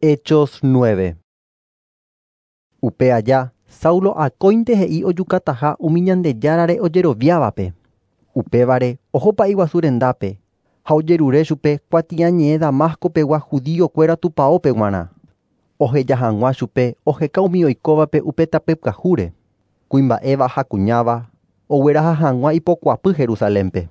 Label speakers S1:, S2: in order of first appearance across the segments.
S1: Hechos 9. Upe aja, Saulo akóinte he'i ojukataha umi Ñandejárare ojeroviávape. Upévare oho pa'i guasu rendápe ha ojerure chupe kuatiañe'ẽ Damasco-pegua judío-kuéra tupãópe g̃uarã. Oheja hag̃ua chupe oheka umi oikóvape upe tape pyahúre, kuimba'éva ha kuñáva ogueraha hag̃ua ipokuapy Jerusalénpe.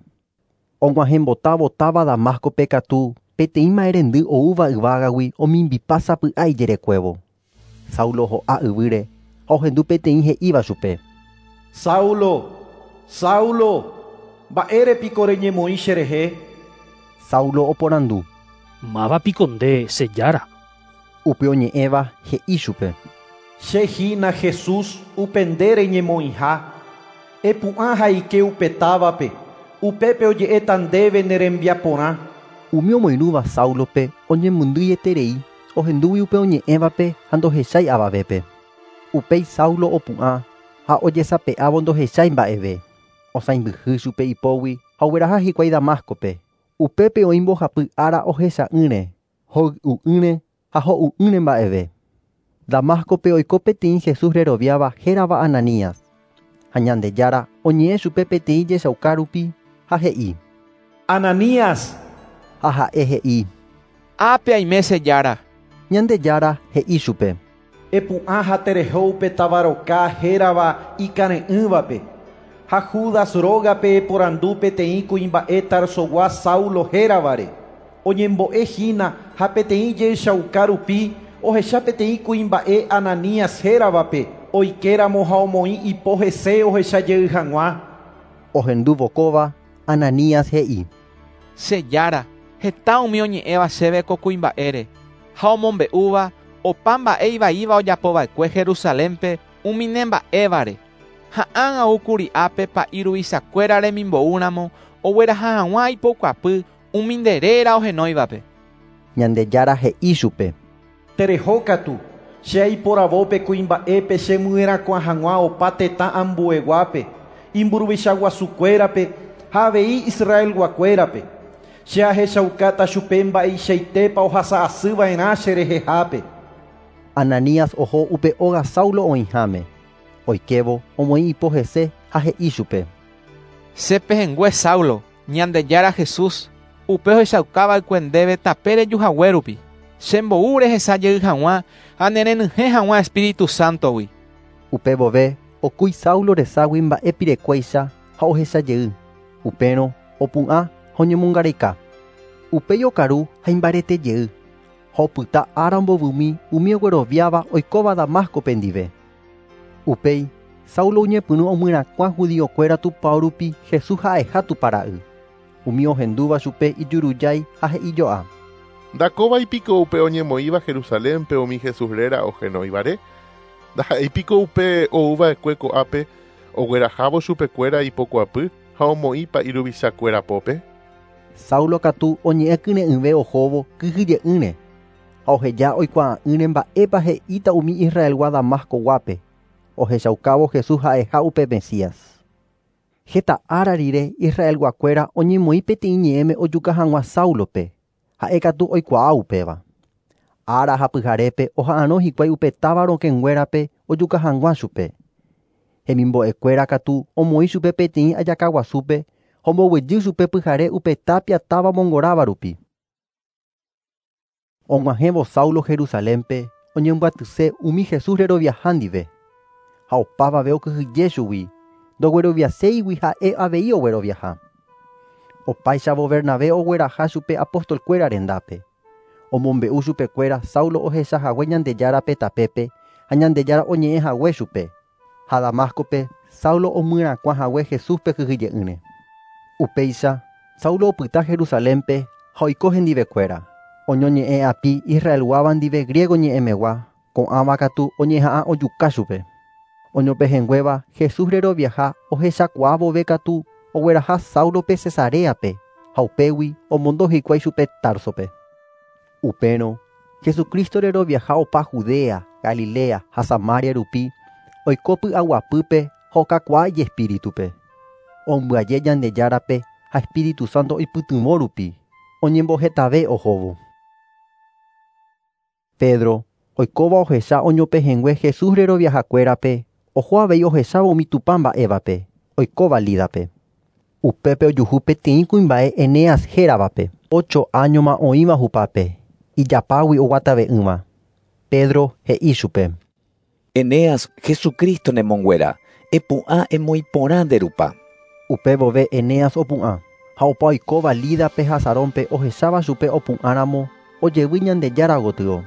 S1: Og̃uahẽmbotávo táva Damasco-pe katu peteĩ mba'erendy oúva yvágagui omimbipa sapy'a ijerekuévo. Saulo ho'a yvýre ha ohendu peteĩ he'íva chupe.
S2: Saulo, Saulo, mba'érepiko reñemoĩ cherehe?
S1: Saulo oporandu.
S3: Mávapiko nde, che Jára?
S1: Upe oñe'ẽva he'i chupe.
S2: Che hína Jesús upe nde reñemoĩha. Epu'ã ha eike upe távape, upépe oje'éta ndéve ne rembiaporã.
S1: Umi omoirũva Saulope oñemondýieterei ohendúgui upe oñe'ẽvape ha ndohechái avavépe. Upéi Saulo opu'ã ha ojesape'ávo ndohechái mba'eve. Osãimbyhy chupe ipógui ha ogueraha hikuái Damasco-pe. Upépe oĩ mbohapy ára ohecha'ỹre, hoy'u'ỹre ha ho'u'ỹre mba'eve. Damasco-pe oiko peteĩ Jesús reroviáva hérava Ananías. Ha Ñandejára oñe'ẽ chupe peteĩ jechauka rupi ha he'i.
S2: Ananías!
S1: Ha ha'e he'i.
S4: Ápe aime che Jára.
S1: Ñandejára he'i chupe.
S2: Epu'ã ha tereho upe táva roka hérava ikare'ỹvape. Ha Judas rógape eporandu peteĩ kuimba'e Tarsogua Saulo héravare. Oñembo'ehína ha peteĩ jechauka rupi ohecha peteĩ kuimba'e Ananías héravape oikéramo ha omoĩ ipo hese ohechajey hag̃ua.
S1: Ohendúvo kóva, Ananías he'i.
S4: Che Jára, heta umi oñe'ẽva chéve ko kuimba'ére ha omombe'úva opa mba'e ivaíva ojapova'ekue Jerusalénpe umi ne mba'évare. Ha ág̃a oúkuri ápe pa'i ruvichakuéra remimboúramo ogueraha hag̃ua ipokuapy umi nde réra ohenóivape.
S1: Ñandejára he'i chupe.
S2: Terehókatu, che aiporavo pe kuimba'épe chemyerakuã hag̃ua opa tetã ambueguápe, imburuvichaguasukuérape ha avei Israelguakuérape. Che ahechaukáta chupe mba'eichaitépa ohasa'asyva'erã cherehehápe.
S1: Ananías oho upe óga Saulo oĩháme. Oikévo omoĩ ipo hese ha he'i chupe.
S4: Che pehẽngue Saulo, Ñandejára Jesús, upe ohechaukava'ekue ndéve tape rejuhague rupi. Chembou rehechajey hag̃ua ha nerenyhẽ hag̃ua Espíritu Santo-gui.
S1: Upe vove okúi Saulo reságui mba'e pirekuéicha ha ohechajey. Upérõ opu'ã ha oñemongareika. Upéi okaru ha imbaretejey. Ha opyta ára mbovymi umi ogueroviáva oikóva Damasco-pe ndive. Upéi Saulo oñepyrũ omyrakuã judío-kuéra tupão rupi Jesús ha'eha Tupãra'y. Umi ohendúva chupe ijurujái ha he'ijo'a.
S5: Ndakóvaipiko upe oñemoĩva Jerusalénpe umi Jesús réra ohenóivare? Ndaha'éipiko upe oúva'ekue ko'ápe oguerahávo chupekuéra ipokuapy ha omoĩ pa'i ruvichakuéra pópe?
S1: Saulo katu oñe'ẽ kyre'ỹve ohóvo kyhyje'ỹre ha oheja oikuaa'ỹre mba'épa he'íta umi Israelgua Damasco-guápe ohechaukávo Jesús ha'eha upe Mesías. Heta ára rire Israelguakuéra oñemoĩ peteĩ ñe'ẽme ojuka hag̃ua Saulope, ha'ékatu oikuaa upéva. Ára ha pyharépe oha'arõ hikuái upe táva rokẽnguérape ojuka hag̃ua chupe. Hemimbo'ekuéra katu omoĩ chupe peteĩ ajakaguasúpe ha omboguejy chupe pyhare upe tapia táva mongoráva rupi. Og̃uahẽvo Saulo Jerusalénpe oñembyatyse umi Jesús reroviaha ndive. Ha opavave okyhyje chugui, ndogueroviaséigui ha'e avei ogueroviaha. Opáichavo Bernabé ogueraha chupe apóstol-kuéra rendápe. Omombe'u chupekuéra Saulo ohechahague Ñandejárape tapépe ha Ñandejára oñe'ẽhague chupe. Ha Damasco-pe Saulo omyrakuãhague Jesúspe kyhyje'ỹre. Upéicha Saulo opyta Jerusalénpe ha oiko hendivekuéra. Oñoñe'ẽ api Israelguáva ndive griego ñe'ẽmegua, ko'ãva katu oñeha'ã ojuka chupe. Oñopehẽnguéva Jesús reroviaha ohechakuaa vove katu ogueraha Saulope Cesareape ha upégui omondo hikuái chupe Tarsope. Upérõ Jesucristo reroviaha opa Judea, Galilea ha Samaria rupi oiko py'aguapýpe ha okakuaa ijespíritupe. Ombyaje Ñandejárape ha Espíritu Santo oipytyvõ rupi oñembohetave ohóvo. Pedro, oikóva ohecha oñopehẽngue Jesús reroviahakuérape, oho avei ohechávo umi Tupã mba'évape, oikóva Lídape. Upépe ojuhu peteĩ kuimba'e Eneas héravape, ocho áñoma oĩva hupápe, ijapágui oguatave'ỹva. Pedro he'i chupe:
S6: Eneas, Jesucristo nemonguera, epu'ã emoĩporã nde rupa.
S1: Upe vove Eneas opu'ã, ha opa oikóva Lídape ha Sarónpe ohecháva chupe opu'ãramo ojevy Ñandejára gotyo.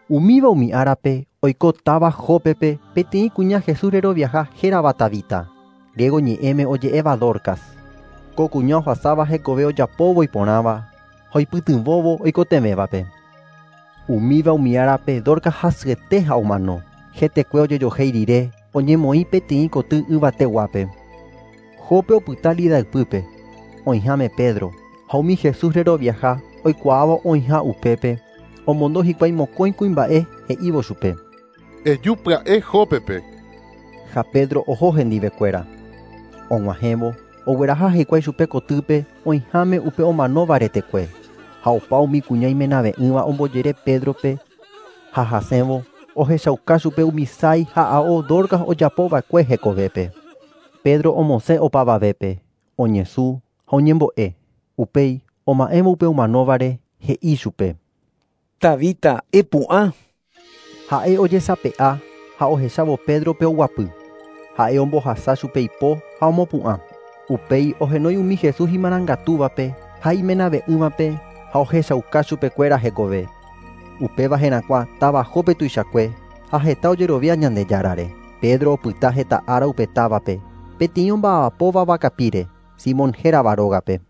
S1: Umíva umi árape oiko táva Jópepe peteĩ kuña Jesús reroviaha hérava Tabita, griego ñe'ẽme oje'éva Dorcas. Ko kuña ohasáva hekove ojapóvo iporãva ha oipytyvõvo oikotevẽvape. Umíva umi árape Dorcas hasyete ha omano. Hetekue ojejohéi rire oñemoĩ peteĩ koty yvateguápe. Jope opyta Lida ypýpe, oĩháme Pedro, ha umi Jesús reroviaha oikuaávo oĩha upépe, omondo hikuái mokõi kuimba'e he'ívo chupe.
S5: Eju pya'e Jópepe.
S1: Ha Pedro oho hendivekuéra. Og̃uahẽvo, ogueraha hikuái chupe kotýpe oĩháme upe omanóva retekue. Ha opa umi kuña imenave'ỹva ombojere Pédrope ha hasẽvo ohechauka chupe umi sái ha ao Dorcas ojapova'ekue hekovépe. Pedro omosẽ opavavépe, oñesũ ha oñembo'e. Upéi oma'ẽvo upe omanóvare he'i chupe:
S6: Tabita, epu'ã.
S1: Ha'e ojesape'a ha ohechávo Pédrope oguapy. Ha'e ombohasa chupe ipo ha omopu'ã. Upéi ohenói umi Jesús imarangatúvape ha imenave'ỹvape ha ohechauka chupekuéra hekove. Upéva herakuã táva Jope tuichakue ha heta ojerovia Ñandejárare. Pedro opyta heta ára upe távape, peteĩ omba'apóva vakapíre, Simón hérava rógape.